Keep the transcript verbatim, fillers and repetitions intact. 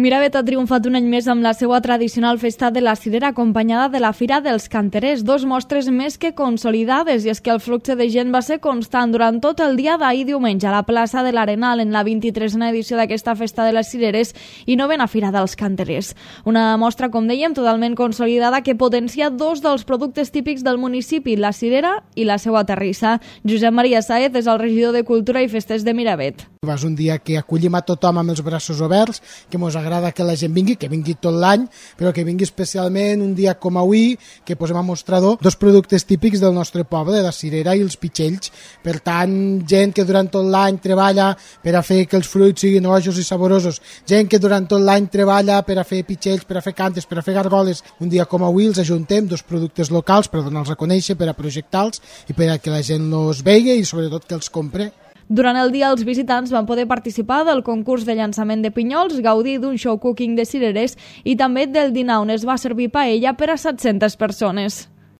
Miravet ha triomfat un any més amb la seva tradicional festa de la cirera acompanyada de la Fira dels Canterers, dos mostres més que consolidades, i és que el flux de gent va ser constant durant tot el dia d'ahir diumenge a la plaça de l'Arenal en la vint-i-tresena edició d'aquesta festa de les cireres i novena Fira dels Canterers. Una mostra, com dèiem, totalment consolidada que potencia dos dels productes típics del municipi, la cirera i la seva terrissa. Josep Maria Sáez és el regidor de Cultura i Festes de Miravet. És un dia que acollim a tothom amb els braços oberts, que ens agrada que la gent vingui, que vingui tot l'any, però que vingui especialment un dia com avui, que posem a mostrador dos productes típics del nostre poble, la cirera i els pitxells. Per tant, gent que durant tot l'any treballa per a fer que els fruits siguin ojos i saborosos, gent que durant tot l'any treballa per a fer pitxells, per a fer cantes, per a fer gargoles. Un dia com avui els ajuntem dos productes locals per donar-los a conèixer, per a projectar-los i per a que la gent els vegi i sobretot que els compre. Durant el dia, els visitants van poder participar del concurs de llançament de pinyols, gaudir d'un show cooking de cirerers i també del dinar on es va servir paella per a set-centes persones.